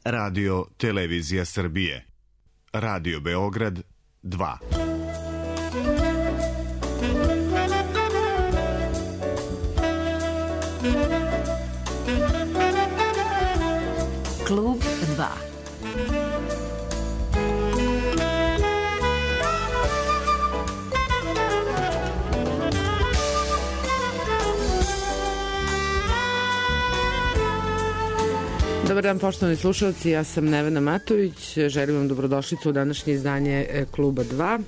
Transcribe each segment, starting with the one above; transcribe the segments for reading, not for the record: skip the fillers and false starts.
Radio Televizija Srbije. Radio Beograd 2. Klub 2. Dobar dan, poštovani slušalci, ja sam Nevena Matović, želim vam dobrodošlicu u današnje izdanje Kluba 2.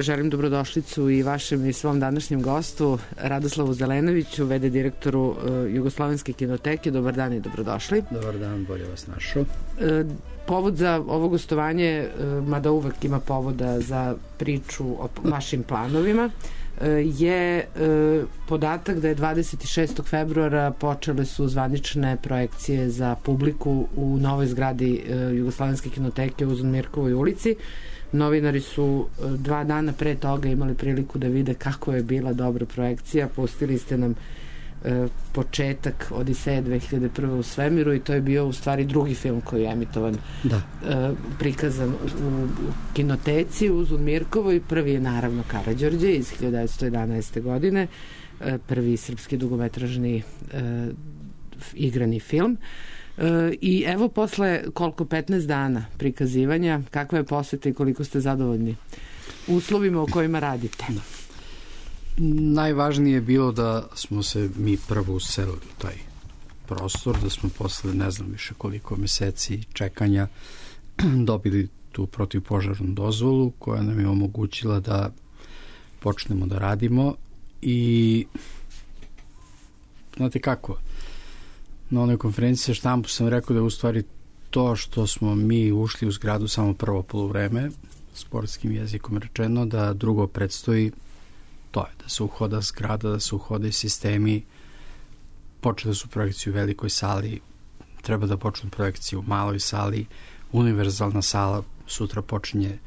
Želim dobrodošlicu i vašem i svom današnjem gostu Radoslavu Zelenoviću, v.d. direktoru Jugoslovenske kinoteke. Dobar dan i dobrodošli. Dobar dan, bolje vas našao. Povod za ovo gostovanje, mada uvek ima povoda za priču o vašim planovima, je podatak da je 26. februara počele su zvanične projekcije za publiku u novoj zgradi Jugoslovenske kinoteke u Uzunmirkovoj ulici. Novinari su 2 dana pre toga imali priliku da vide kako je bila dobra projekcija. Pustili ste nam početak Odiseje 2001. u svemiru i to je bio u stvari drugi film koji je emitovan, prikazan u kinoteci u Uzunmirkovoj. Prvi je naravno Karađorđe iz 1911. godine, prvi srpski dugometražni igrani film. I evo posle koliko 15 dana prikazivanja, kakva je poseta i koliko ste zadovoljni uslovima u kojima radite? Najvažnije je bilo da smo se mi prvo uselili u taj prostor, da smo posle ne znam više koliko meseci čekanja dobili tu protivpožarnu dozvolu koja nam je omogućila da počnemo da radimo. I znate kako, na onoj konferenciji za štampu sam rekao da je u stvari to što smo mi ušli u zgradu samo prvo poluvreme, sportskim jezikom rečeno, da drugo predstoji. To je da se uhoda zgrada, da se uhode sistemi. Počele su projekcije u velikoj sali, treba da počnu projekcije u maloj sali. Univerzalna sala sutra počinje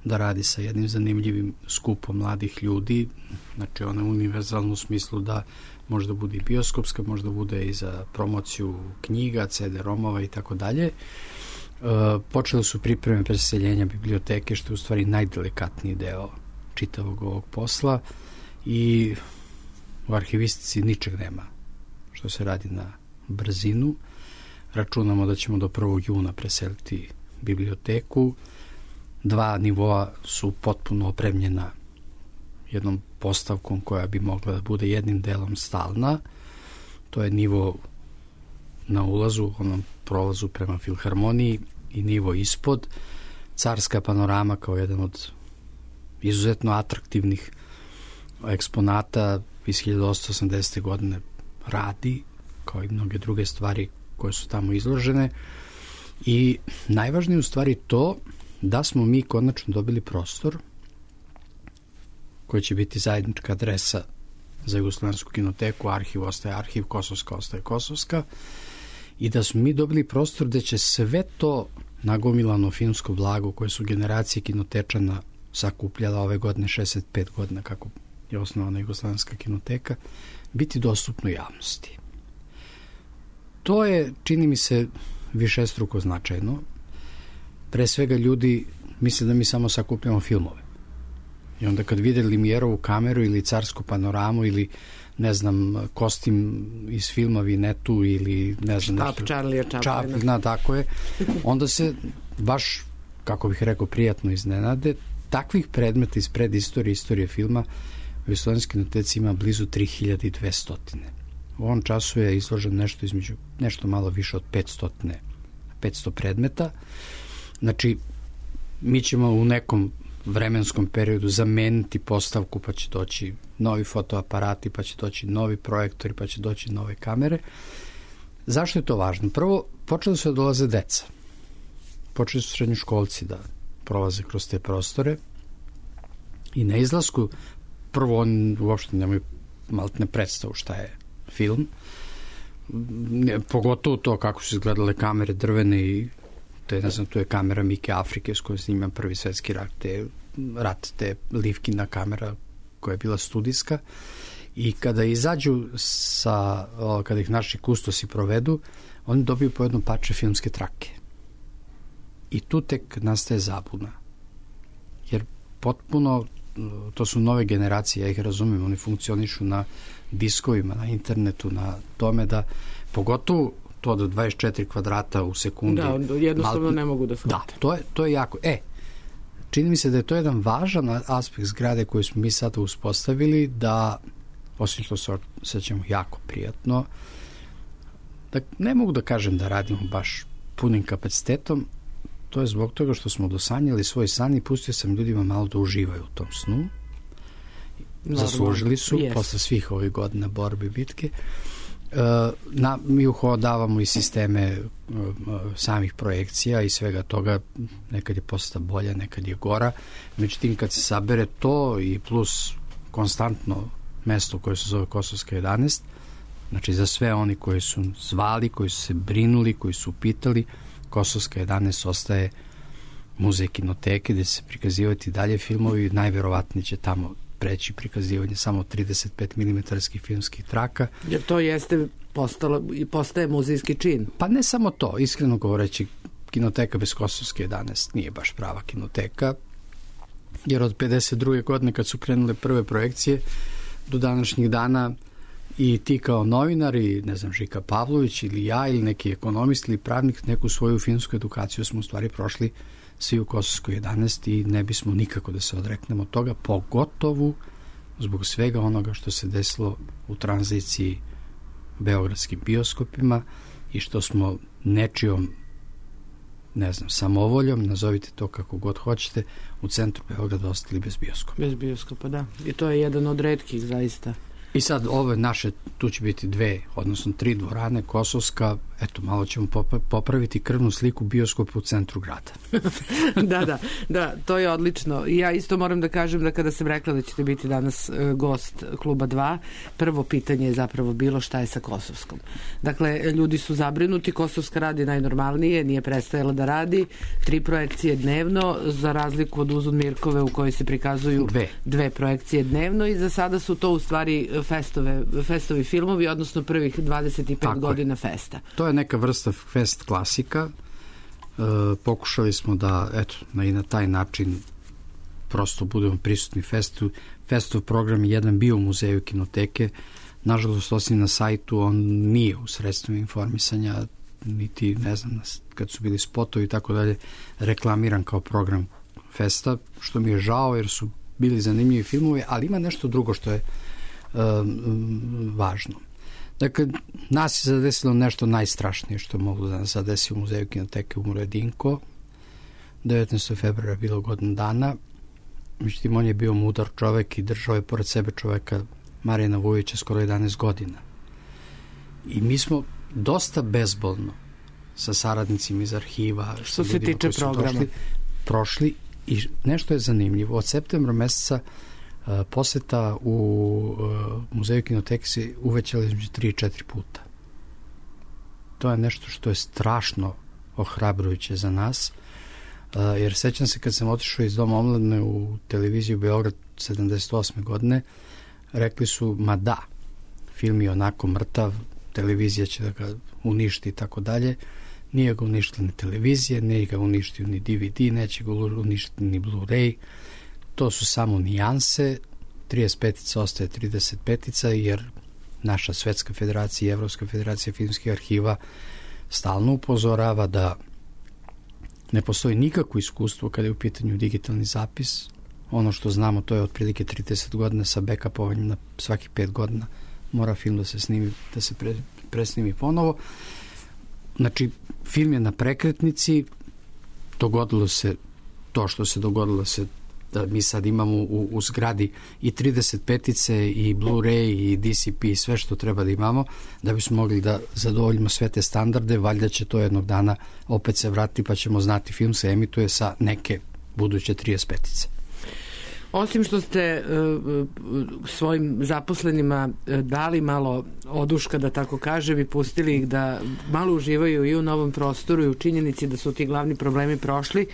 da radi sa jednim zanimljivim skupom mladih ljudi. Znači ona je univerzalna u smislu da možda bude i bioskopska, možda bude i za promociju knjiga, CD-romova i tako dalje. Počele su pripreme preseljenja biblioteke, što je u stvari najdelikatniji deo čitavog ovog posla, i u arhivistici ničeg nema što se radi na brzinu. Računamo da ćemo do 1. juna preseliti biblioteku. 2 nivoa su potpuno opremljena jednom postavkom koja bi mogla da bude jednim delom stalna. To je nivo na ulazu, onom prolazu prema Filharmoniji, i nivo ispod. Carska panorama kao jedan od izuzetno atraktivnih eksponata iz 1880. godine radi, kao i mnoge druge stvari koje su tamo izložene. I najvažnije u stvari to da smo mi konačno dobili prostor koji će biti zajednička adresa za Jugoslovensku kinoteku. Arhiv ostaje arhiv, Kosovska ostaje Kosovska, i da smo mi dobili prostor gde će sve to nagomilano filmsko blago koje su generacije kinotečana sakupljala ove godine, 65 godina kako je osnovana Jugoslovenska kinoteka, biti dostupno javnosti. To je, čini mi se, višestruko značajno. Pre svega ljudi misle da mi samo sakupljamo filmove. I onda kad vide Limijerovu kameru ili carsku panoramu ili ne znam, kostim iz filma Vinetu ili ne znam Štab Charlie Chaplina, tako je, onda se baš, kako bih rekao, prijatno iznenade. Takvih predmeta iz predistorije, istorije filma u Jugoslovenskoj kinoteci ima blizu 3200. U ovom času je izložen nešto malo više od 500 predmeta. Znači, mi ćemo u nekom vremenskom periodu zameniti postavku, pa će doći novi fotoaparati, pa će doći novi projektori, pa će doći nove kamere. Zašto je to važno? Prvo, počeli su da dolaze deca. Počeli su srednjoškolci da prolaze kroz te prostore i na izlasku prvo oni uopšte nemaju maltene predstavu šta je film, pogotovo to kako su izgledale kamere drvene i tu je kamera Mike Afrike s kojom snima Prvi svetski rat, te Livkina kamera koja je bila studijska, i kada izađu kada ih naši kustosi provedu, oni dobiju po jedno parče filmske trake. I tu tek nastaje zabuna. Jer potpuno, to su nove generacije, ja ih razumem, oni funkcionišu na diskovima, na internetu, na tome da, pogotovo to do 24 kvadrata u sekundi. Da, jednostavno ne mogu da shvate. Da, to je jako. Čini mi se da je to jedan važan aspekt zgrade koji smo mi sada uspostavili, da, osim što se osjećamo jako prijatno, da ne mogu da kažem da radimo baš punim kapacitetom, to je zbog toga što smo dosanjali svoj san i pustio sam ljudima malo da uživaju u tom snu. Zaslužili su, posle svih ovih godina borbe i bitke. Mi uhodavamo i sisteme samih projekcija i svega toga, nekad je postala bolja, nekad je gora, međutim kad se sabere to i plus konstantno mesto koje se zove Kosovska 11, znači za sve oni koji su zvali, koji su se brinuli, koji su pitali, Kosovska 11 ostaje muzej kinoteke gde se prikazivati dalje filmovi, najverovatnije će tamo preći prikazivanje samo 35 mm filmskih traka. Jer to postaje muzejski čin. Pa ne samo to, iskreno govoreći, kinoteka bez Kosovske 11 nije baš prava kinoteka, jer od 52. godine kad su krenule prve projekcije do današnjih dana i ti kao novinar i ne znam Žika Pavlović ili ja ili neki ekonomist ili pravnik, neku svoju filmsku edukaciju smo u stvari prošli svi u Kosovskoj 11 i ne bismo nikako da se odreknemo od toga, pogotovo zbog svega onoga što se desilo u tranziciji beogradskim bioskopima i što smo nečijom, ne znam, samovoljom, nazovite to kako god hoćete, u centru Beograda ostali bez bioskopa. Bez bioskopa, da. I to je jedan od retkih, zaista. I sad ove naše, tu će biti 2, odnosno 3 dvorane, Kosovska, eto, malo ćemo popraviti krvnu sliku bioskopa u centru grada. Da, to je odlično. Ja isto moram da kažem da kada sam rekla da ćete biti danas gost Kluba 2, prvo pitanje je zapravo bilo šta je sa Kosovskom. Dakle, ljudi su zabrinuti, Kosovska radi najnormalnije, nije prestajala da radi, 3 projekcije dnevno, za razliku od Uzun Mirkove u kojoj se prikazuju 2 projekcije dnevno i za sada su to u stvari festovi filmovi, odnosno prvih 25 godina festa. To je neka vrsta fest klasika. Pokušali smo da, eto, na taj način prosto budemo prisutni festu. Festov program je jedan bio u muzeju kinoteke. Nažalost, osim na sajtu, on nije u sredstvima informisanja, niti, ne znam, kad su bili spotovi i tako dalje, reklamiran kao program festa, što mi je žao jer su bili zanimljivi filmovi, ali ima nešto drugo što je važno. Dakle, nas je zadesilo nešto najstrašnije što moglo da nas zadesi u muzeju kinoteke, umro je Dinko. 19. februara je bilo godinu dana. Međutim, on je bio mudar čovek i držao je pored sebe čoveka Marijana Vujovića skoro 11 godina. I mi smo dosta bezbolno sa saradnicima iz arhiva, što se tiče programa, prošli i nešto je zanimljivo. Od septembra meseca poseta u muzeju kinoteke se uvećala između 3 i 4 puta. To je nešto što je strašno ohrabrujuće za nas, jer sećam se kad sam otišao iz Doma omladine u televiziju Beograd 78. godine, rekli su, ma da, film je onako mrtav, televizija će da ga uništi i tako dalje. Nije ga uništila ni televizija, nije ga uništio ni DVD, neće ga uništiti ni Blu-ray. To su samo nijanse, 35 ostaje 35, jer naša Svetska federacija i Evropska federacija filmskih arhiva stalno upozorava da ne postoji nikakvo iskustvo kada je u pitanju digitalni zapis. Ono što znamo, to je otprilike 30 godina sa backupovanjem na svaki 5 godina mora film da se snimi, da se presnimi ponovo. Znači, film je na prekretnici, dogodilo se to što se dogodilo se da mi sad imamo u zgradi i 35-ice i Blu-ray i DCP i sve što treba da imamo da bismo mogli da zadovoljimo sve te standarde. Valjda će to jednog dana opet se vratiti pa ćemo znati film se emituje sa neke buduće 35-ice. Osim što ste svojim zaposlenima dali malo oduška, da tako kažem, i pustili ih da malo uživaju i u novom prostoru i u činjenici da su ti glavni problemi prošli,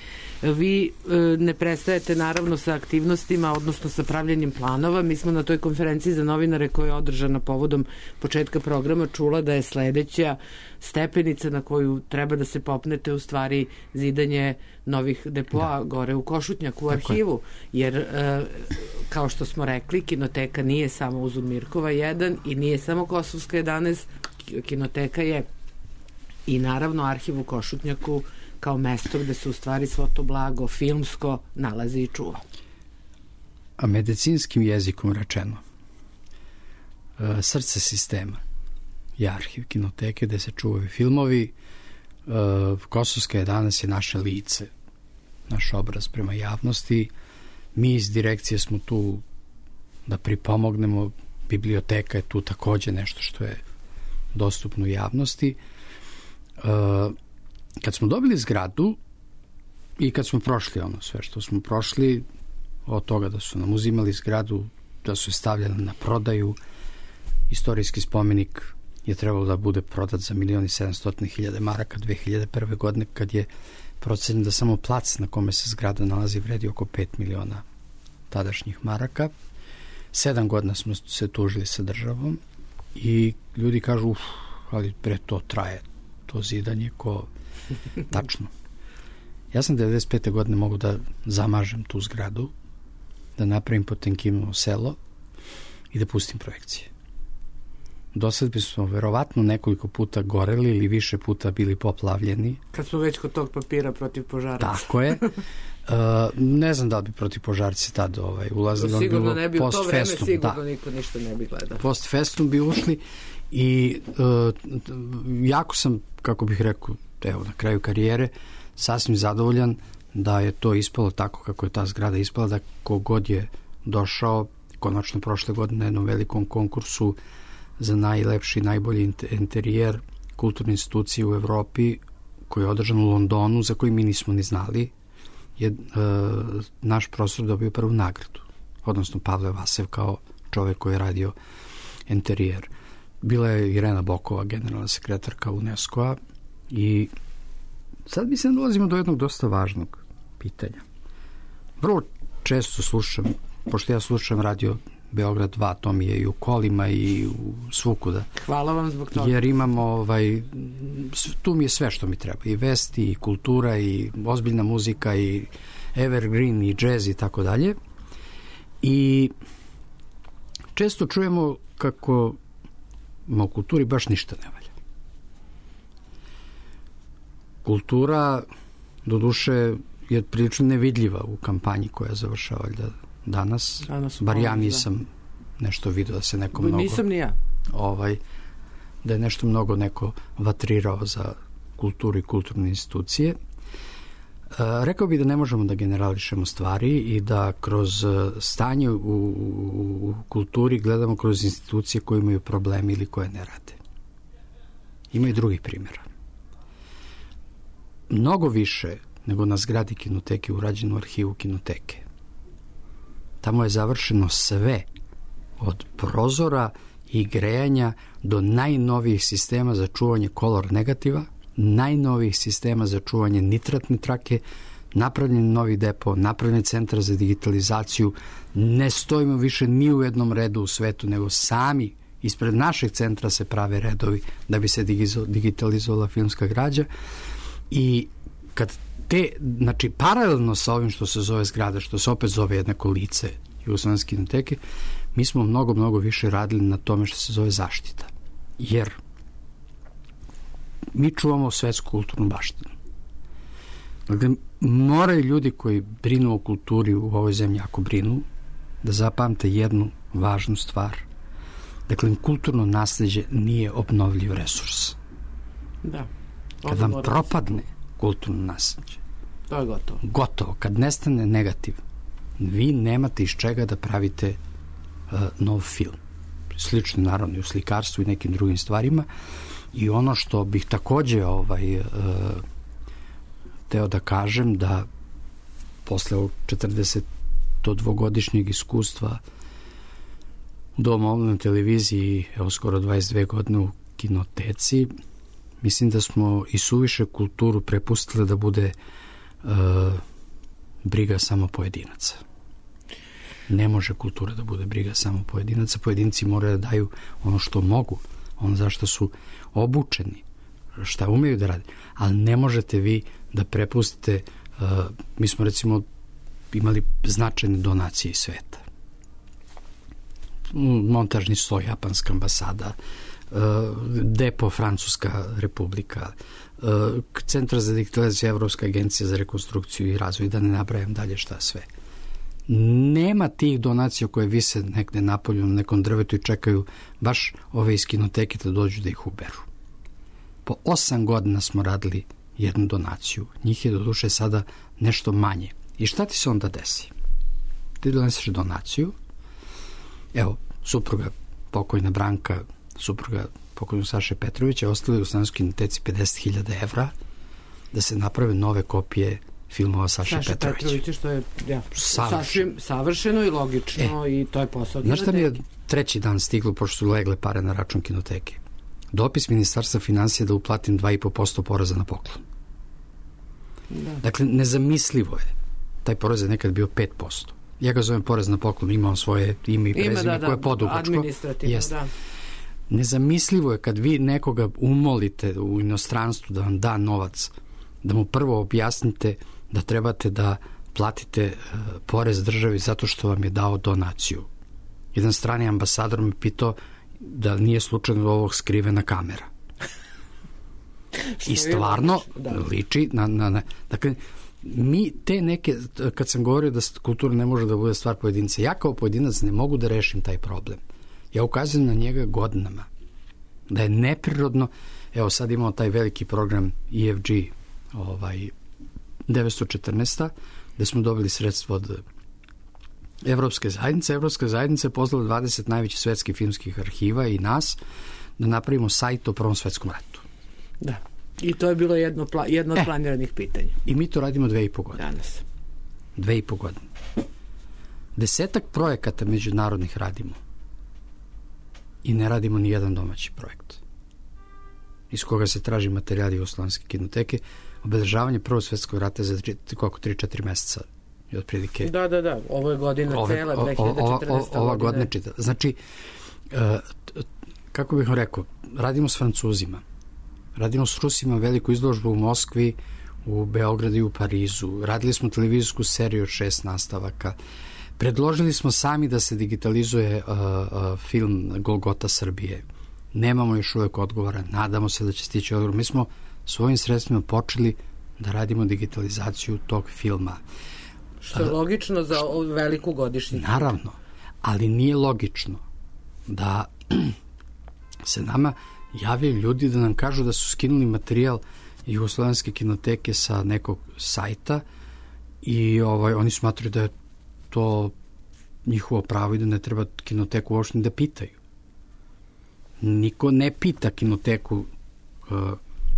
vi ne prestajete naravno sa aktivnostima, odnosno sa pravljenjem planova. Mi smo na toj konferenciji za novinare koja je održana povodom početka programa čula da je sledeća stepenica na koju treba da se popnete u stvari zidanje novih depoa gore u Košutnjaku, u arhivu, jer kao što smo rekli, kinoteka nije samo Uzun Mirkova 1 i nije samo Kosovska 11, kinoteka je i naravno arhiv u Košutnjaku kao mesto gde se u stvari svo to blago filmsko nalazi i čuva. A medicinskim jezikom rečeno, srce sistema je arhiv kinoteke gde se čuvaju filmovi. Kosovska 11 je naše lice, naš obraz prema javnosti. Mi iz direkcije smo tu da pripomognemo. Biblioteka je tu takođe nešto što je dostupno javnosti. Kad smo dobili zgradu i kad smo prošli ono sve što smo prošli, od toga da su nam uzimali zgradu, da su je stavljali na prodaju, istorijski spomenik je trebalo da bude prodat za 1.700.000 maraka 2001. godine, kad je procenjen da samo plac na kome se zgrada nalazi vredi oko 5 miliona tadašnjih maraka. 7 godina smo se tužili sa državom i ljudi kažu, ali pre to traje, to zidanje ko tačno. Ja sam 95. godine mogu da zamažem tu zgradu, da napravim Potemkinovo selo i da pustim projekcije. Do sad bi smo verovatno nekoliko puta goreli ili više puta bili poplavljeni. Kad smo već kod tog papira protiv požaraca. Tako je. Ne znam da li bi protiv požarci tad ulazili. Sigurno ne bi, u to vreme sigurno niko ništa ne bi gledao. Post festum bi ušli i jako sam, kako bih rekao, evo na kraju karijere, sasvim zadovoljan da je to ispalo tako kako je ta zgrada ispala, da kogod je došao, konačno prošle godine na jednom velikom konkursu za najlepši, najbolji interijer kulturne institucije u Evropi, koji je održan u Londonu, za koji mi nismo ni znali, je naš profesor dobio prvu nagradu, odnosno Pavle Vasev kao čovek koji je radio interijer. Bila je Irena Bokova, generalna sekretarka UNESCO-a, i sad mi se dolazimo do jednog dosta važnog pitanja. Vrlo često slušam, pošto ja slušam radio Beograd 2, to mi je i u kolima i u svukuda. Hvala vam zbog toga. Jer imamo, tu mi je sve što mi treba. I vesti, i kultura, i ozbiljna muzika, i evergreen, i džez, i tako dalje. I često čujemo kako u kulturi baš ništa ne valja. Kultura, doduše, je prilično nevidljiva u kampanji koja završava danas. Bar ja nisam nešto vidio da se neko mnogo... Nisam ni ja. Da je nešto mnogo neko vatrirao za kulturu i kulturne institucije. Rekao bih da ne možemo da generališemo stvari i da kroz stanje u kulturi gledamo kroz institucije koje imaju problemi ili koje ne rade. Ima i drugih primjera. Mnogo više nego na zgradi kinoteke urađeno u arhivu kinoteke. Tamo je završeno sve, od prozora i grejanja do najnovijih sistema za čuvanje kolor negativa, najnovijih sistema za čuvanje nitratne trake, napravljen novi depo, napravljen centar za digitalizaciju. Ne stojimo više ni u jednom redu u svetu, nego sami ispred našeg centra se prave redovi da bi se digitalizovala filmska građa. I kad znači paralelno sa ovim što se zove zgrada, što se opet zove jednako lice Jugoslovenske kinoteke, mi smo mnogo, mnogo više radili na tome što se zove zaštita. Jer mi čuvamo svetsku kulturnu baštinu. Dakle, moraju ljudi koji brinu o kulturi u ovoj zemlji, ako brinu, da zapamte jednu važnu stvar. Dakle, kulturno nasleđe nije obnovljiv resurs. Da. Kad vam propadne kulturno nasleđe, to je gotovo. Gotovo. Kad nestane negativ, vi nemate iz čega da pravite nov film. Slično naravno i u slikarstvu i nekim drugim stvarima. I ono što bih takođe teo da kažem, da posle 45 to dvogodišnjeg iskustva u Domu omladine televiziji, evo skoro 22 godine u kinoteci, mislim da smo i suviše kulturu prepustili da bude briga samo pojedinaca. Ne može kultura da bude briga samo pojedinaca. Pojedinci moraju da daju ono što mogu, ono za što su obučeni, šta umeju da radi. Ali ne možete vi da prepustite, mi smo recimo imali značajne donacije iz sveta. Montažni sloj, japanska ambasada, Depo, Francuska republika, Centar za digitalizaciju, Evropska agencija za rekonstrukciju i razvoj, da ne nabrajam dalje šta sve. Nema tih donacija koje vise negde napolju na nekom drvetu i čekaju baš ove iz kinoteke da dođu da ih uberu. Po 8 godina smo radili jednu donaciju. Njih je do duše sada nešto manje. I šta ti se onda desi? Ti doneseš donaciju, evo, supruga pokojna Branka, supruga pokojnog Saše Petrovića, ostali u Slovenskoj kinoteci 50.000 evra da se naprave nove kopije filmova Saše Petrovića, što je sasvim savršeno i logično i to je posao. Znaš šta mi je treći dan stiglo, pošto su legle pare na račun kinoteke? Dopis Ministarstva finansija da uplatim 2,5% poreza na poklon. Da. Dakle, nezamislivo je. Taj porez je nekad bio 5%. Ja ga zovem porez na poklon, imam svoje ime i prezime koje je podugačko. Administrativno, da. Nezamislivo je kad vi nekoga umolite u inostranstvu da vam da novac, da mu prvo objasnite da trebate da platite porez državi zato što vam je dao donaciju. Jedan strani ambasador me pitao da nije slučajno ovog skrivena kamera. I stvarno liči na dakle, mi te neke, kad sam govorio da kultura ne može da bude stvar pojedinca, ja kao pojedinac ne mogu da rešim taj problem. Ja ukazujem na njega godinama. Da je neprirodno, evo sad imamo taj veliki program EFG 914. gde smo dobili sredstvo od Evropske zajednice. Evropska zajednica je pozvala 20 najvećih svetskih filmskih arhiva i nas da napravimo sajt o Prvom svetskom ratu. Da. I to je bilo jedno od planiranih pitanja. I mi to radimo 2,5 godine. Danas. 2,5 godine. 10 projekata međunarodnih radimo. I ne radimo ni jedan domaći projekt. Iz koga se traži materijal Jugoslovenske kinoteke. Obeležavanje Prvog svjetskog rata za 3-4 meseca. I otprilike. Da. Ovo je godina cela, 2014. Ova godina čita. Znači, kako bih vam rekao, radimo s Francuzima. Radimo s Rusima veliku izložbu u Moskvi, u Beogradu i u Parizu. Radili smo televizijsku seriju od 6 nastavaka. Predložili smo sami da se digitalizuje film Golgota Srbije. Nemamo još uvek odgovora. Nadamo se da će stići odgovor. Mi smo svojim sredstvima počeli da radimo digitalizaciju tog filma. Što je logično za veliku godišnjicu. Naravno, ali nije logično da se nama javljaju ljudi da nam kažu da su skinuli materijal Jugoslovenske kinoteke sa nekog sajta i oni smatruju da je to njihovo pravo i da ne treba kinoteku uopšte da pitaju. Niko ne pita kinoteku.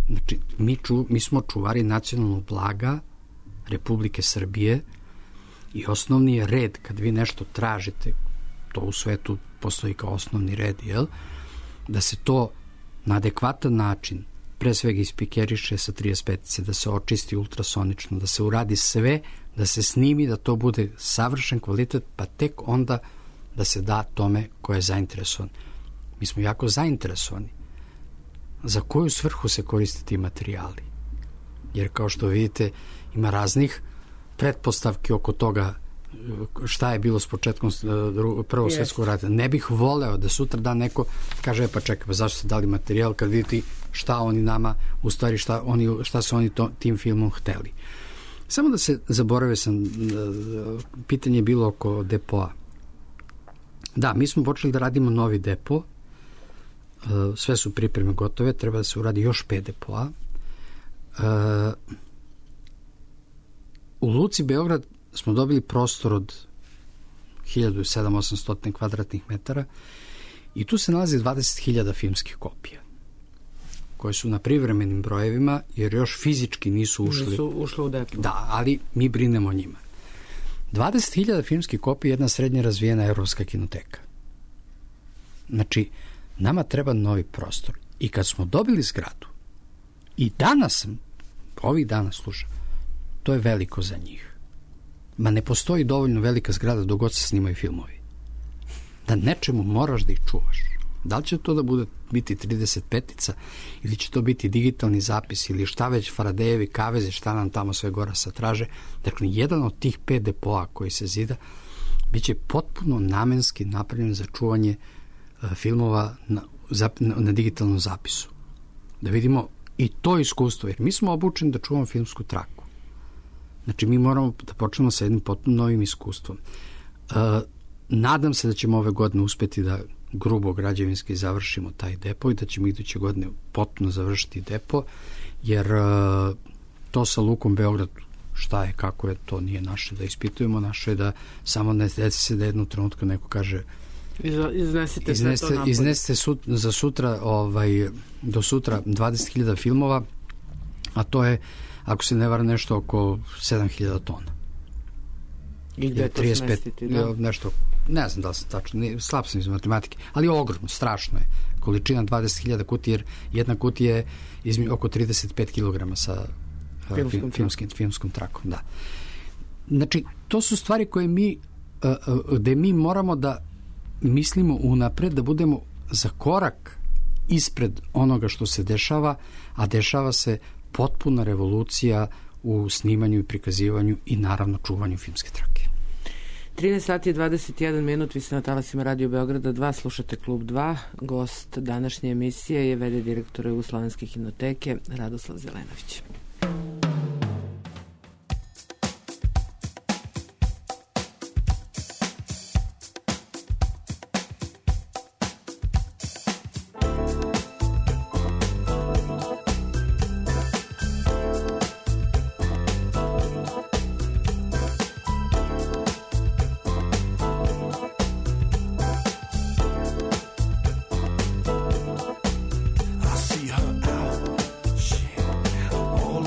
Znači, mi smo čuvari nacionalnog blaga Republike Srbije i osnovni je red kad vi nešto tražite, to u svetu postoji kao osnovni red, da se to na adekvatan način pre svega ispikeriše sa 35, da se očisti ultrasonično, da se uradi sve, da se snimi, da to bude savršen kvalitet, pa tek onda da se da tome ko je zainteresovan. Mi smo jako zainteresovani. Za koju svrhu se koriste ti materijali? Jer kao što vidite, ima raznih pretpostavki oko toga šta je bilo s početkom Prvog svjetskog rata. Ne bih voleo da sutra dan neko kaže, pa čekaj, pa zašto ste dali materijal kad vidite šta oni nama, u stvari šta su oni tim filmom hteli. Samo da se zaboravio sam, pitanje je bilo oko depoa. Da, mi smo počeli da radimo novi depo, sve su pripreme gotove, treba da se uradi još 5 depoa. U Luci Beograd smo dobili prostor od 1700-800 kvadratnih metara i tu se nalazi 20.000 filmskih kopija koje su na privremenim brojevima jer još fizički nisu ušli u depo. Da, ali mi brinemo o njima. 20.000 filmskih kopija je jedna srednje razvijena evropska kinoteka. Znači, nama treba novi prostor. I kad smo dobili zgradu, i danas, ovih dana slušam, to je veliko za njih. Ma ne postoji dovoljno velika zgrada dok god se snimaju filmovi. Da nečemu moraš da ih čuvaš. Da li će to da biti 35-ica ili će to biti digitalni zapis ili šta već Faradejevi kavezi, šta nam tamo sve gora sad traže. Dakle, jedan od tih 5 depoa koji se zida bit će potpuno namenski napravljen za čuvanje filmova na digitalnom zapisu. Da vidimo i to iskustvo, jer mi smo obučeni da čuvamo filmsku traku. Znači, mi moramo da počnemo sa jednim potpuno novim iskustvom. Nadam se da ćemo ove godine uspeti da grubo građevinski završimo taj depo i da ćemo iduće godine potpuno završiti depo, jer to sa Lukom Beograd, šta je, kako je, to nije naše da ispitujemo, naše je da samo ne desi se da jednog trenutka neko kaže iznesite za sutra, do sutra 20.000 filmova, a to je, ako se ne vara, nešto oko 7.000 tona. I gde to smestiti? Nešto, ne znam da li sam tačno, slab sam iz matematike, ali ogromno, strašno je. Količina 20.000 kutija, jer jedna kutija je oko 35 kg sa filmskom trakom. Da. Znači, to su stvari koje gde mi moramo da mislimo unapred, da budemo za korak ispred onoga što se dešava, a dešava se potpuna revolucija u snimanju i prikazivanju i naravno čuvanju filmske trake. 13 sati i 21 minut, vi ste na talasima Radio Beograda 2, slušate Klub 2. Gost današnje emisije je v.d. direktor Jugoslovenske kinoteke Radoslav Zelenović. All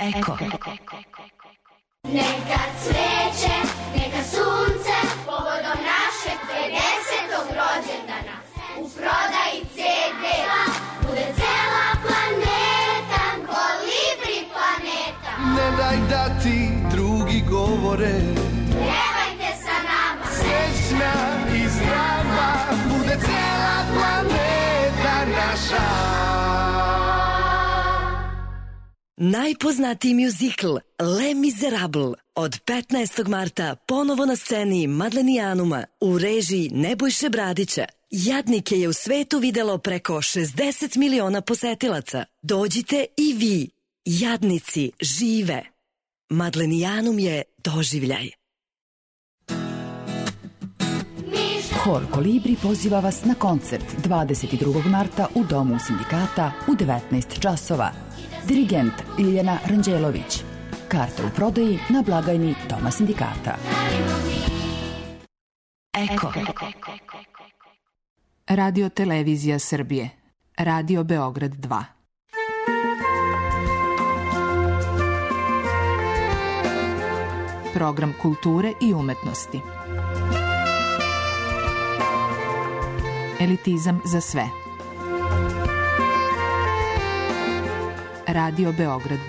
Eko. Neka cveće, neka sunce, povodom našeg 50. rođendana. U prodaji CD-a bude cela planeta, Kolibri planeta. Ne daj da ti drugi govore, Pjevajte sa nama, srećna i zdrava, bude cela planeta naša. Najpoznatiji mjuzikl Les Miserables od 15. marta ponovo na sceni Madlenijanuma u režiji Nebojše Bradića. Jadnike je u svetu videlo preko 60 miliona posetilaca. Dođite i vi. Jadnici žive. Madlenijanum je doživljaj. Hor Kolibri poziva vas na koncert 22. marta u Domu sindikata u 19 časova. Dirigent Ljiljana Ranđelović. Karte u prodaji na blagajni Doma sindikata. Eko. Radio Televizija Srbije. Radio Beograd 2. Program kulture i umetnosti. Elitizam za sve. Radio Beograd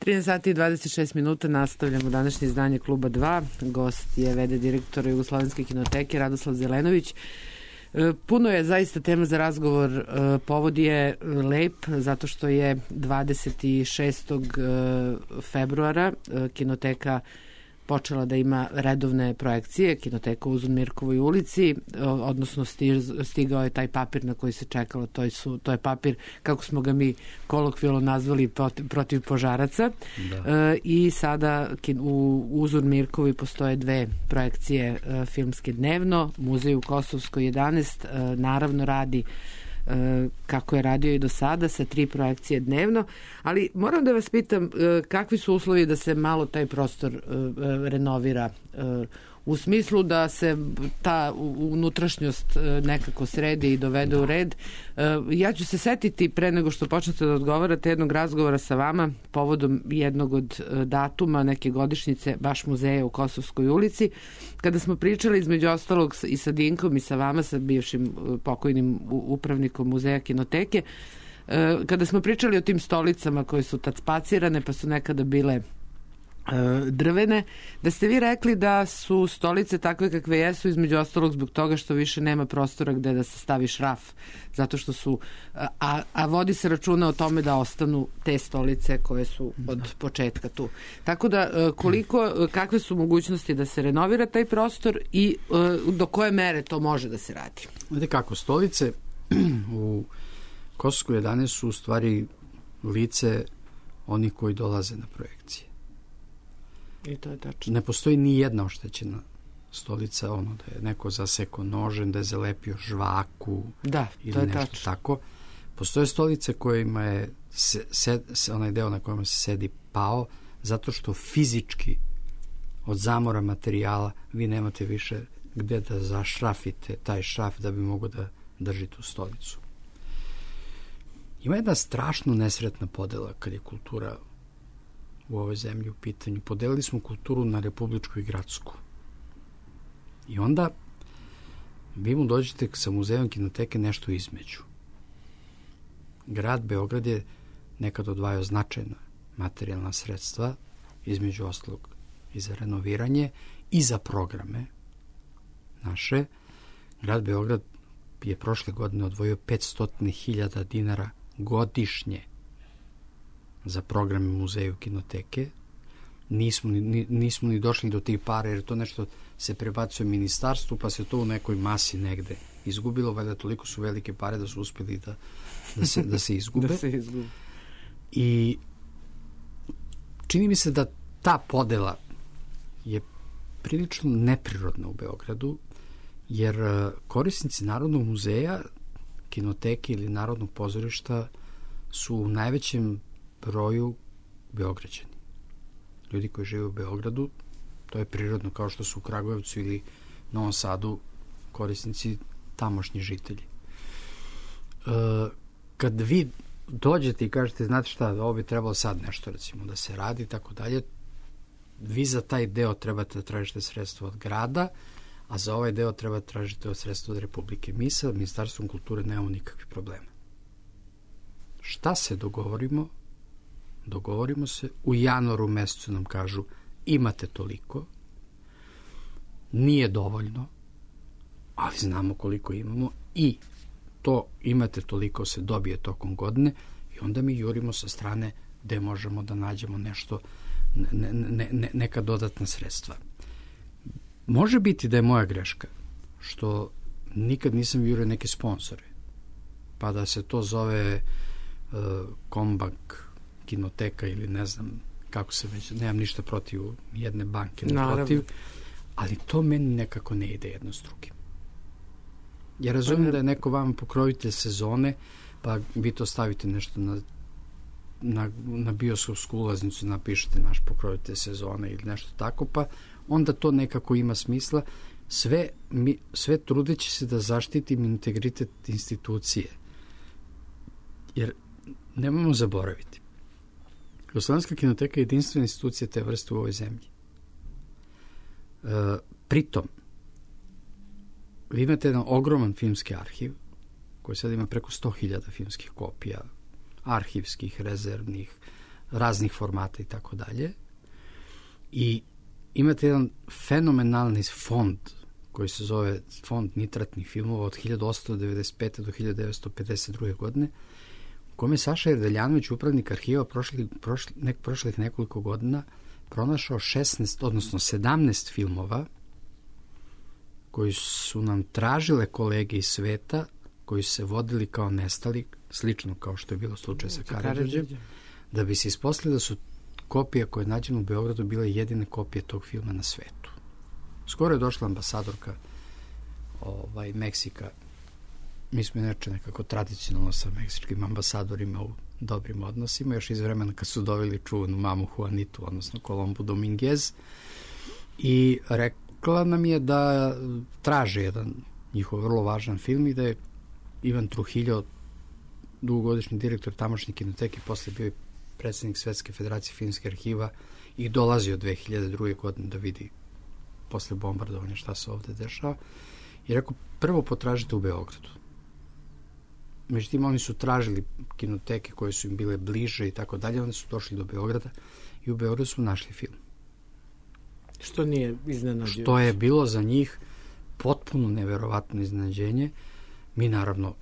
2. Sati i 26 minuta, nastavljamo današnje izdanje Kluba 2. Gost je v.d. direktor Jugoslovenske kinoteke Radoslav Zelenović. Puno je zaista tema za razgovor. Povod je lep zato što je 26. februara kinoteka počela da ima redovne projekcije, kinoteka u Uzun Mirkovoj ulici, odnosno stigao je taj papir na koji se čekalo, to je papir, kako smo ga mi kolokvijalno nazvali, protiv požaraca. I sada u Uzun Mirkovoj postoje 2 projekcije filmske dnevno, Muzej u Kosovskoj 11 naravno radi kako je radio i do sada sa 3 projekcije dnevno, ali moram da vas pitam kakvi su uslovi da se malo taj prostor renovira u smislu da se ta unutrašnjost nekako sredi i dovede u red. Ja ću se setiti pre nego što počnete da odgovarate jednog razgovora sa vama povodom jednog od datuma neke godišnjice baš muzeja u Kosovskoj ulici, kada smo pričali između ostalog i sa Dinkom i sa vama, sa bivšim pokojnim upravnikom muzeja kinoteke, kada smo pričali o tim stolicama koje su tad spacirane pa su nekada bile drvene, da ste vi rekli da su stolice takve kakve jesu između ostalog zbog toga što više nema prostora gde da se stavi šraf, zato što su a vodi se računa o tome da ostanu te stolice koje su od početka tu. Tako da kakve su mogućnosti da se renovira taj prostor i do koje mere to može da se radi? Znate kako, stolice u Kosovskoj 11 su u stvari lice oni koji dolaze na projekcije. I to je tačno. Ne postoji ni jedna oštećena stolica, da je neko zasekao nožem, da je zalepio žvaku ili to je nešto tačno. tako. Postoje stolice kojima je onaj deo na kojem se sedi pao, zato što fizički od zamora materijala vi nemate više gde da zašrafite taj šraf da bi mogo da drži tu stolicu. Ima jedna strašno nesretna podela kad je kultura u ovoj zemlji u pitanju. Podelili smo kulturu na republičku i gradsku. I onda vi mu dođete sa muzejom kinoteke nešto između. Grad Beograd je nekad odvajao značajna materijalna sredstva, između ostalog i za renoviranje i za programe naše. Grad Beograd je prošle godine odvojio 500.000 dinara godišnje za programe muzeju kinoteke. Nismo ni došli do tih para, jer to nešto se prebacuje ministarstvu, pa se to u nekoj masi negde izgubilo, valjda toliko su velike pare da su uspjeli da se izgube. Da se izgube. I čini mi se da ta podela je prilično neprirodna u Beogradu, jer korisnici Narodnog muzeja, kinoteke ili Narodnog pozorišta su u najvećem broju Beograđani. Ljudi koji žive u Beogradu, to je prirodno, kao što su u Kragujevcu ili Novom Sadu korisnici tamošnji žitelji. kad vi dođete i kažete, znate šta, ovo bi trebalo sad nešto, recimo, da se radi, tako dalje, vi za taj deo trebate da tražite sredstvo od grada, a za ovaj deo treba tražiti sredstvo od Republike. Mi sa Ministarstvom kulture nemamo nikakve probleme. Šta se dogovorimo? Dogovorimo se, u januaru mesecu nam kažu imate toliko, nije dovoljno, ali znamo koliko imamo i to imate toliko se dobije tokom godine i onda mi jurimo sa strane gde možemo da nađemo nešto, neka dodatna sredstva. Može biti da je moja greška što nikad nisam jurio neke sponsore, pa da se to zove Kombak kinoteka ili ne znam kako se već, nemam ništa protiv jedne banke, protiv, ali to meni nekako ne ide jedno s drugim. Ja razumijem da je neko vam pokrovitelj sezone, pa vi to stavite nešto na bioskopsku ulaznicu, napišete naš pokrovitelj sezone ili nešto tako, pa onda to nekako ima smisla. Sve trudeći se da zaštitim integritet institucije. Jer nemojmo zaboraviti. Jugoslovenska kinoteka je jedinstvena institucija te vrste u ovoj zemlji. Pritom, vi imate jedan ogroman filmski arhiv koji sad ima preko 100.000 filmskih kopija, arhivskih, rezervnih, raznih formata i tako dalje. I imate jedan fenomenalni fond koji se zove Fond nitratnih filmova od 1895. do 1952. godine, u kome je Saša Jerdeljanović, upravnik arhiva, prošlih nekoliko godina pronašao 17 filmova koji su nam tražile kolege iz sveta, koji su se vodili kao nestali, slično kao što je bilo slučaj sa Karađorđem, da bi se ispostavilo da su kopije koje je nađeno u Beogradu bile jedine kopije tog filma na svetu. Skoro je došla ambasadorka Meksika. Mi smo inače nekako tradicionalno sa meksičkim ambasadorima u dobrim odnosima, još iz vremena kad su doveli čuvenu mamu Juanitu, odnosno Colombu Dominguez, i rekla nam je da traže jedan njihov vrlo važan film i da je Ivan Trujillo, dugogodišnji direktor tamošnje kinoteke, posle bio predsjednik Svetske federacije filmskih arhiva i dolazio 2002. godine da vidi posle bombardovanja šta se ovde dešava. I rekao, prvo potražite u Beogradu. Međutim, oni su tražili kinoteke koje su im bile bliže i tako dalje, oni su došli do Beograda i u Beogradu su našli film. Što nije iznenađujuće. Što je bilo za njih potpuno neverovatno iznenađenje. Mi naravno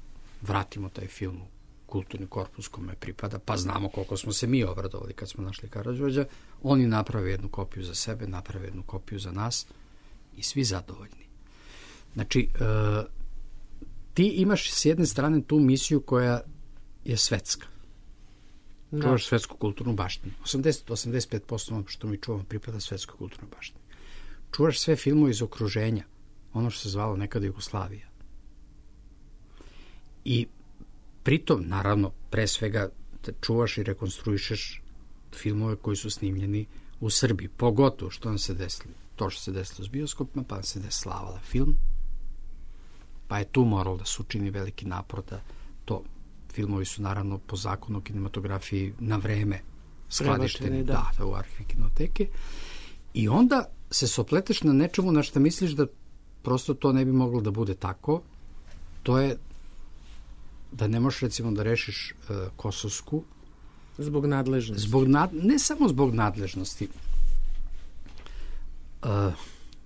vratimo taj film u kulturni korpus kome pripada, pa znamo koliko smo se mi obradovali kad smo našli Karađorđa. Oni naprave jednu kopiju za sebe, naprave jednu kopiju za nas i svi zadovoljni. Znači, ti imaš s jedne strane tu misiju koja je svetska. Čuvaš svetsku kulturnu baštinu. 80-85% ono što mi čuvamo pripada svetskoj kulturnoj baštini. Čuvaš sve filmove iz okruženja, ono što se zvalo nekada Jugoslavija. I pritom, naravno, pre svega čuvaš i rekonstruišeš filmove koji su snimljeni u Srbiji. Pogotovo što nam se desilo. To što se desilo s bioskopima, pa se deslavala film. Pa je tu moralo da se učini veliki napor da to filmovi su naravno po zakonu o kinematografiji na vreme skladišteni u arhiv kinoteke. I onda se sopleteš na nečemu na što misliš da prosto to ne bi moglo da bude tako. To je da ne možeš recimo da rešiš Kosovsku zbog nadležnosti. Ne samo zbog nadležnosti.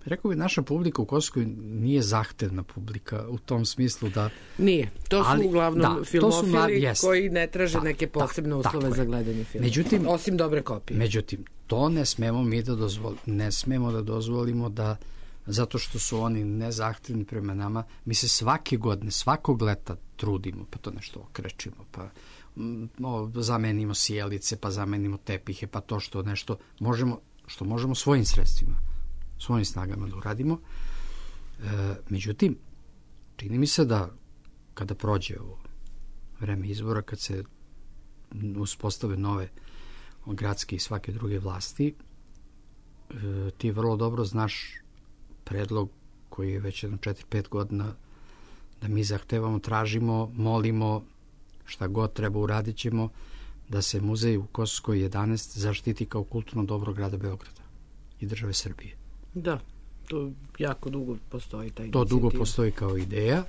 Rekao bi, naša publika u Kosovskoj nije zahtevna publika u tom smislu da... Nije. To su uglavnom filmofili koji ne traže neke posebne uslove za gledanje filma. Međutim, osim dobre kopije. Međutim, to ne smemo mi da dozvolimo. Ne smemo da dozvolimo da, zato što su oni nezahtevni prema nama, mi se svake godine, svakog leta trudimo, pa to nešto okrećimo, pa zamenimo sjelice, pa zamenimo tepihe, pa to što nešto možemo svojim sredstvima, svojim snagama da uradimo. Međutim, čini mi se da kada prođe ovo vreme izbora, kad se uspostave nove gradske i svake druge vlasti, ti vrlo dobro znaš predlog koji je već jedno 4-5 godina da mi zahtevamo, tražimo, molimo, šta god treba uradit ćemo, da se muzej u Kosovskoj 11 zaštiti kao kulturno dobro grada Beograda i države Srbije. Da, to jako dugo postoji ta inicijativa. To dugo postoji kao ideja.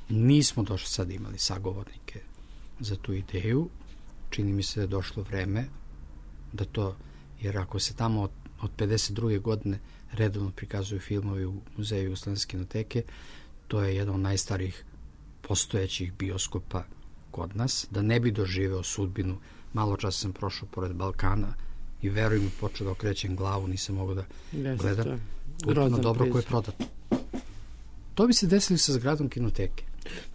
Nismo došli sad imali sagovornike za tu ideju. Čini mi se da je došlo vreme da to, jer ako se tamo od 52. godine redovno prikazuju filmovi u Muzeju Jugoslovenske kinoteke, to je jedan od najstarijih postojećih bioskopa kod nas, da ne bi doživeo sudbinu. Malo čas sam prošao pored Balkana i veruj mi, počeo da okrećem glavu, nisam mogao da gledam. Kulturno dobro koje je prodato. To bi se desilo sa zgradom kinoteke.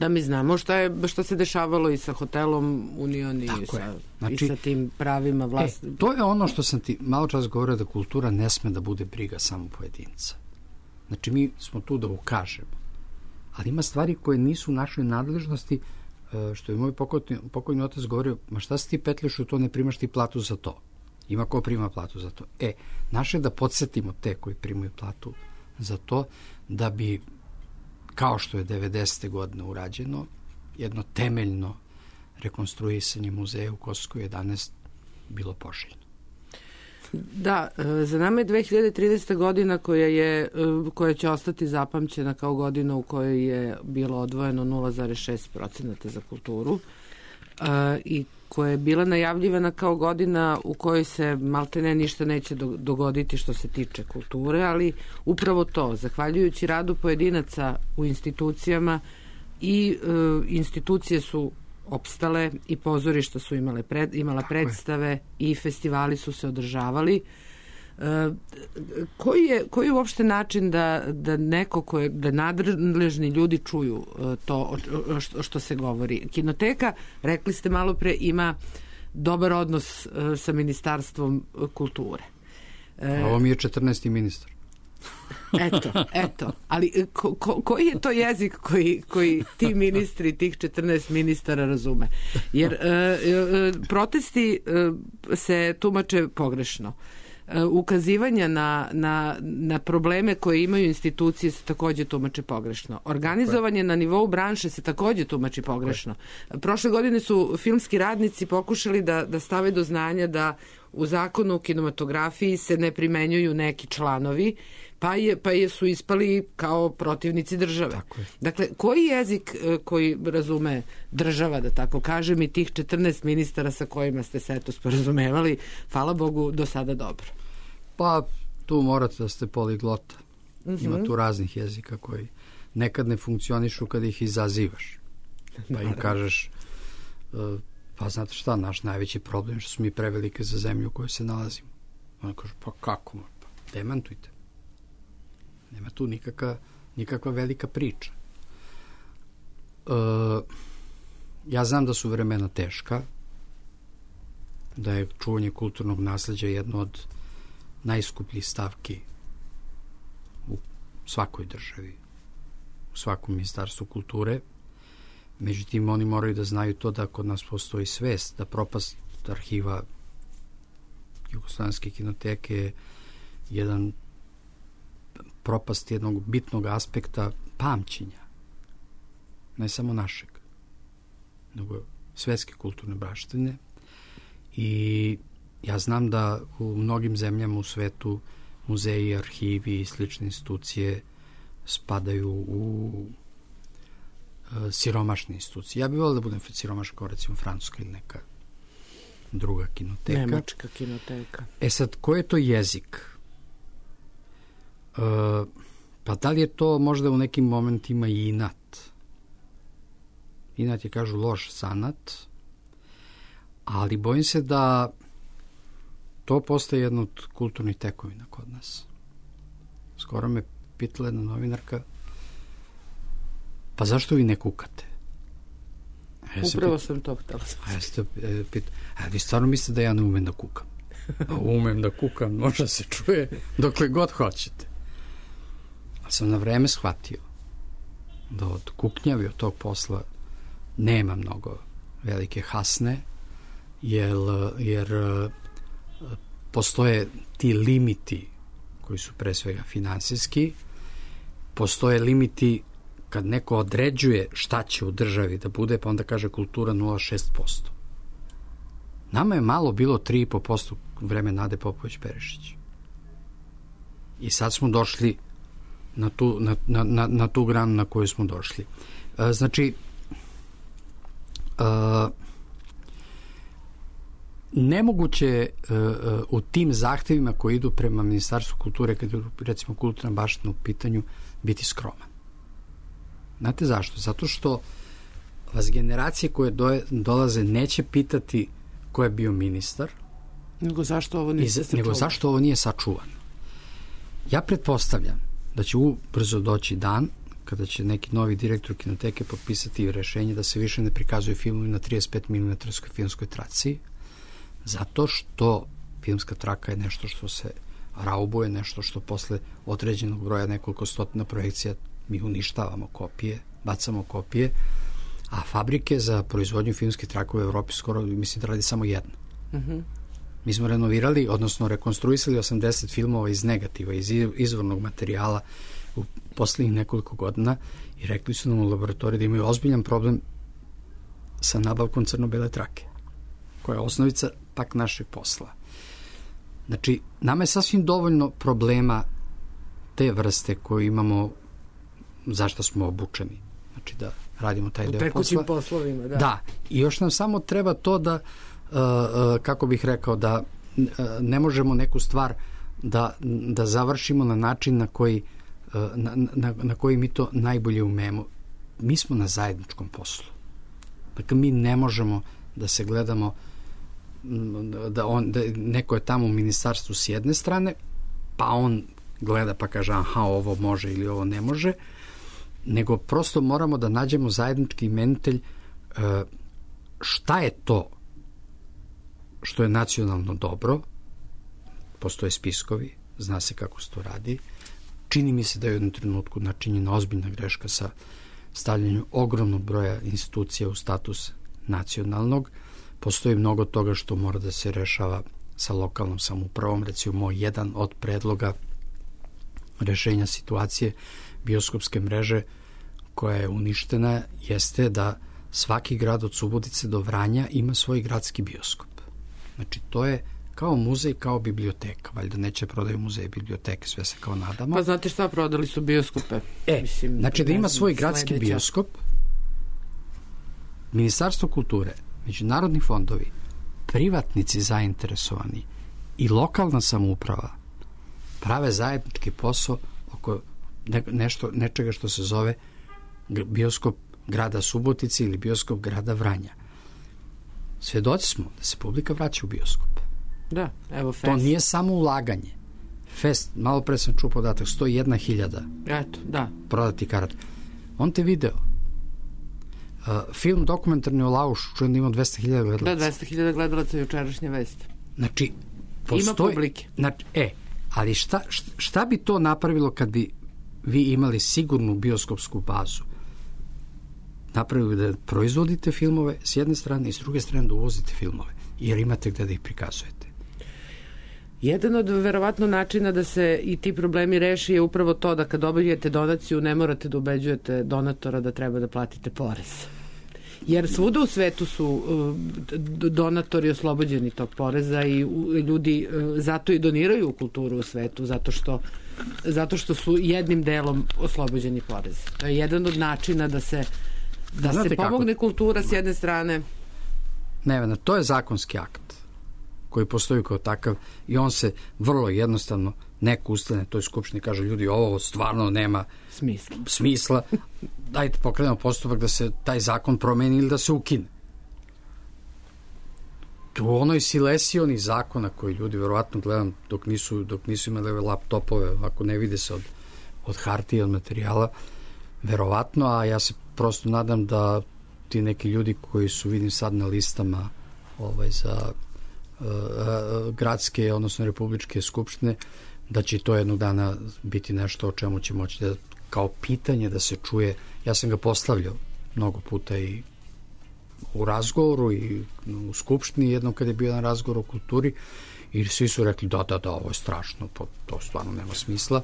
Da, mi znamo šta se dešavalo i sa hotelom Union i sa tim pravima vlasti. To je ono što sam ti malo čas govorio, da kultura ne sme da bude briga samo pojedinca. Znači, mi smo tu da ukažemo. Ali ima stvari koje nisu u našoj nadležnosti, što je moj pokojni otac govorio, ma šta si ti petljaš u to, ne primaš ti platu za to. Ima ko prima platu za to. Naše je da podsjetimo te koji primaju platu za to, da bi, kao što je 90. godine urađeno, jedno temeljno rekonstruisanje muzeja u Kosovskoj 11 bilo poželjno. Da, za nama je 2030. godina koja će ostati zapamćena kao godina u kojoj je bilo odvojeno 0,6% za kulturu i koja je bila najavljivana kao godina u kojoj se maltene ništa neće dogoditi što se tiče kulture, ali upravo to, zahvaljujući radu pojedinaca u institucijama, i institucije su opstale i pozorišta su imala predstave i festivali su se održavali. Koji je uopšte način da neko da nadležni ljudi čuju to što se govori? Kinoteka, rekli ste malo pre, ima dobar odnos sa Ministarstvom kulture. Ovo mi je 14. ministar. Eto. Ali koji je to jezik koji ti ministri, tih 14 ministara razume? Jer protesti se tumače pogrešno. Ukazivanja na probleme koje imaju institucije se takođe tumače pogrešno. Organizovanje na nivou branše se takođe tumači pogrešno. Prošle godine su filmski radnici pokušali da stave do znanja da u zakonu o kinematografiji se ne primenjuju neki članovi, pa su ispali kao protivnici države. Dakle, koji jezik koji razume država, da tako kažem, i tih 14 ministara sa kojima ste se sporazumevali, hvala Bogu, do sada dobro? Pa, tu morate da ste poliglota. Ima tu raznih jezika koji nekad ne funkcionišu kad ih izazivaš. Pa im kažeš, pa znate šta, naš najveći problem je što smo mi prevelike za zemlju u kojoj se nalazimo. Ona kaže, pa kako? Pa demantujte. Nema tu nikakva velika priča. Ja znam da su vremena teška, da je čuvanje kulturnog nasleđa jedno od najskupljih stavki u svakoj državi, u svakom ministarstvu kulture. Međutim, oni moraju da znaju to da kod nas postoji svest, da propast arhiva Jugoslovenske kinoteke je jedan propast jednog bitnog aspekta pamćenja, ne samo našeg, nego svetske kulturne baštine. I ja znam da u mnogim zemljama u svetu muzeji, arhivi i slične institucije spadaju u siromašne institucije. Ja bih volio da budem siromašan kao recimo Francuska ili neka druga kinoteka. Nemačka kinoteka. Sad, ko je to jezik? Pa da li je to možda u nekim momentima i inat? Inat je, kažu, loš zanat, ali bojim se da to postaje jedno od kulturnih tekovina kod nas. Skoro me pitala jedna novinarka, pa zašto vi ne kukate? Upravo sam to htjela. Vi stvarno mislite da ja ne umem da kukam? Umem da kukam, možda se čuje dokle god hoćete. Ali sam na vreme shvatio da od kuknjavi, od tog posla nema mnogo velike hasne, jer postoje ti limiti koji su pre svega finansijski, postoje limiti kad neko određuje šta će u državi da bude, pa onda kaže kultura 0,6%. Nama je malo bilo 3,5% vreme Nade Popović-Perišić. I sad smo došli na tu granu na koju smo došli. Znači, nemoguće u tim zahtevima koji idu prema Ministarstvu kulture, kad je recimo kulturna baština u pitanju, biti skroman. Znate zašto? Zato što vas generacije koje dolaze neće pitati ko je bio ministar, nego zašto ovo nije sačuvano. Ja pretpostavljam da će ubrzo doći dan kada će neki novi direktor kinoteke potpisati rešenje da se više ne prikazuju filmovi na 35 mm filmskoj traci, zato što filmska traka je nešto što se raubuje, nešto što posle određenog broja nekoliko stotina projekcija mi uništavamo kopije, bacamo kopije, a fabrike za proizvodnju filmskih trakova u Evropi skoro, mislim da radi samo jedna. Mi smo renovirali, odnosno rekonstruisali 80 filmova iz negativa, iz izvornog materijala u poslednjih nekoliko godina i rekli su nam u laboratoriji da imaju ozbiljan problem sa nabavkom crno-bele trake, koja je osnovica pak našeg posla. Znači, nama je sasvim dovoljno problema te vrste koje imamo, zašto smo obučeni. Znači, da radimo taj deo posla. U tekućim poslovima, da. Da, i još nam samo treba to da, kako bih rekao, da ne možemo neku stvar da završimo na način na koji mi to najbolje umemo. Mi smo na zajedničkom poslu. Dakle, mi ne možemo da se gledamo da neko je tamo u ministarstvu s jedne strane, pa on gleda pa kaže aha, ovo može ili ovo ne može, nego prosto moramo da nađemo zajednički imenitelj šta je to što je nacionalno dobro. Postoje spiskovi, zna se kako se to radi. Čini mi se da je u jednom trenutku načinjena ozbiljna greška sa stavljanjem ogromnog broja institucija u status nacionalnog. Postoji mnogo toga što mora da se rešava sa lokalnom samoupravom. Recimo, jedan od predloga rešenja situacije bioskopske mreže koja je uništena jeste da svaki grad od Subotice do Vranja ima svoj gradski bioskop. Znači, to je kao muzej, kao biblioteka. Valjda neće prodaju muzeje i biblioteke, sve se kao nadamo. Pa znate šta, prodali su bioskope. Mislim, znači da ima svoj gradski bioskop, Ministarstvo kulture, međunarodni fondovi, privatnici zainteresovani i lokalna samouprava prave zajednički posao oko nečega što se zove bioskop grada Subotice ili bioskop grada Vranja. Svedoci smo da se publika vraća u bioskop. Da, evo Fest. To nije samo ulaganje. Fest, malo pre sam čuo podatak, 101.000 eto, da. Prodati karata. Montevideo. Film dokumentarni o Laušu, čujem da ima 200.000 gledalaca. Da, 200.000 gledalaca jučerašnje vesti. Znači, ima publike. Znači, ali šta bi to napravilo kad bi vi imali sigurnu bioskopsku bazu? Napravili da proizvodite filmove s jedne strane i s druge strane da uvozite filmove, jer imate gde da ih prikazujete. Jedan od verovatno načina da se i ti problemi reši je upravo to da kad dobijete donaciju ne morate da ubeđujete donatora da treba da platite porez. Jer svuda u svetu su donatori oslobođeni tog poreza i ljudi zato i doniraju u kulturu u svetu, zato što su jednim delom oslobođeni poreza. To je jedan od načina da se pomogne kultura s jedne strane. Nevena, to je zakonski akt koji postoji kao takav i on se vrlo jednostavno neko ustane toj skupštini kaže ljudi ovo stvarno nema smisla. Dajte pokrenemo postupak da se taj zakon promeni ili da se ukine. Tu onoj silesioni zakona koji ljudi verovatno gledam dok nisu imali laptopove, ako ne vide se od hartije, od materijala, verovatno, a ja se prosto nadam da ti neki ljudi koji su vidim sad na listama za gradske, odnosno republičke skupštine, da će to jednog dana biti nešto o čemu će moći da kao pitanje da se čuje. Ja sam ga postavljao mnogo puta i u razgovoru i u skupštini jednom kad je bio na razgovor o kulturi i svi su rekli da, ovo je strašno, to stvarno nema smisla.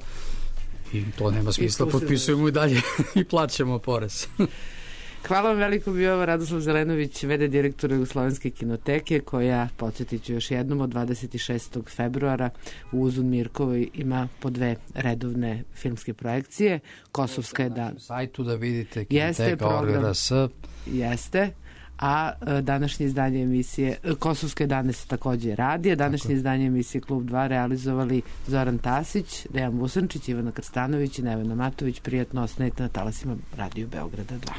I to nema smisla, potpisujemo i dalje i plaćamo porez. Hvala vam veliko, bio ovo Radoslav Zelenović, v.d. direktor Jugoslovenske kinoteke, koja, podsjetit ću još jednom, od 26. februara u Uzun Mirkovoj ima po 2 redovne filmske projekcije. Kosovska je dan. Na sajtu da vidite kinoteka ORS. Jeste. A današnje izdanje emisije Kosovske dane se takođe radi, a današnje izdanje emisije Klub 2 realizovali Zoran Tasić, Dejan Vusančić, Ivana Krstanović i Nevena Matović. Prijatno ostanite na talasima Radio Beograda 2.